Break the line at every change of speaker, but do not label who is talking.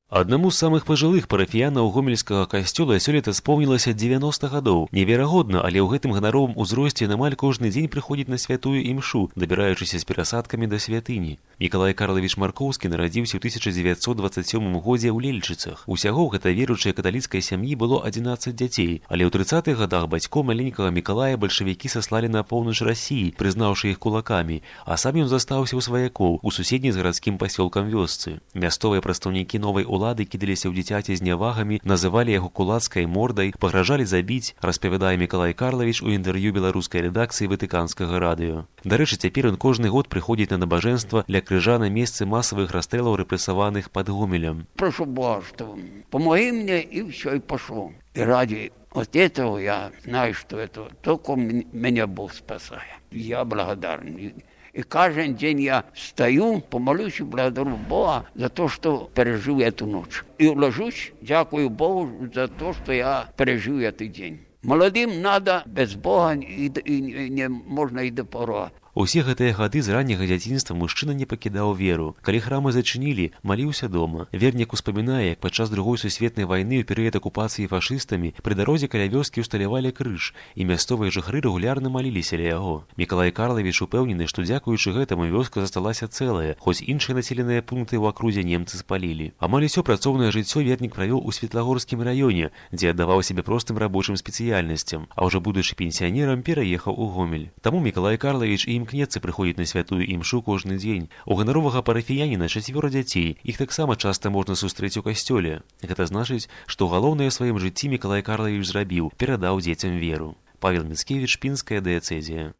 Аднаму з самых пажылых парафіянаў гомельскага касцёла сёлета споўнілася 90 гадоў. Неверагодна, але ў гэтым ганаровым узросце амаль кожны дзень прыходзіць на святую імшу, дабіраючыся з перасадкамі да святыні. Мікалай Карлавіч Маркоўскі нарадзіўся ў 1927 годзе ў Лельчыцах. Усяго гэта веруючай каталіцкай сям'і было 11 дзяцей, але ў 30-х гадах бацькоў маленькага Мікалая бальшавікі саслалі на поўнач Расіі, прызнаўшы іх кулакамі, а сам ён застаўся ў сваякоў у суседняй з гарадскім пасёлкам вёсцы. Мясцовыя прадстаўнікі новай улады кідаліся ў дзіцяці з нявагамі, называлі яго кулацкай мордай, пагражалі забіць, распавядае Мікалай Карлавіч у інтэрв'ю беларускай рэдакцыі ватыканскага радыё. Дарэчы, цяпер ён кожны год прыходзіць на набажэнства ля крыжа на месцы масавых расстрэлаў рэпрэсаваных пад Гомелем.
Прошу Бога, что помоги мне, и все, и пошло. И ради вот этого я знаю, что это только меня Бог спасает. Я благодарен. И каждый день я встаю, помолюсь и благодарю Бога за то, что пережил эту ночь. И ложусь, дякую Богу за то, что я пережил этот день. Молодым надо без Бога, и не можно и до порога.
Усе гэтыя гады з ранняга дзяцінства мужчына не пакідаў веру. Калі храмы зачынілі, маліўся дома. Вернік успамінае, як падчас Другой сусветнай вайны ў перыяд акупацыі фашыстамі пры дарозе каля вёскі ўсталявалі крыж, і мясцовыя жыхары рэгулярна маліліся ля яго. Мікалай Карлавіч упэўнены, што дзякуючы гэтаму вёска засталася цэлая, хоць іншыя населеныя пункты ў акрузе немцы спалілі. Амаль усё працоўнае жыццё вернік правёў у Светлагорскім раёне, дзе аддаваў сябе простым рабочым спецыяльнасцям, а ўжо будучы пенсіянерам пераехаў у Гомель. Таму Мікалай Карлавіч і імкнецца прыходзіць на святую імшу кожны дзень. У ганаровага парафіяніна 4 дзяцей, іх таксама часта можна сустрэць у касцёле. Гэта значыць, што галоўнае ў сваім жыцці Мікалай Карлавіч зрабіў, перадаў дзецям веру. Павел Міцкевіч, Пінская дыяцэзія.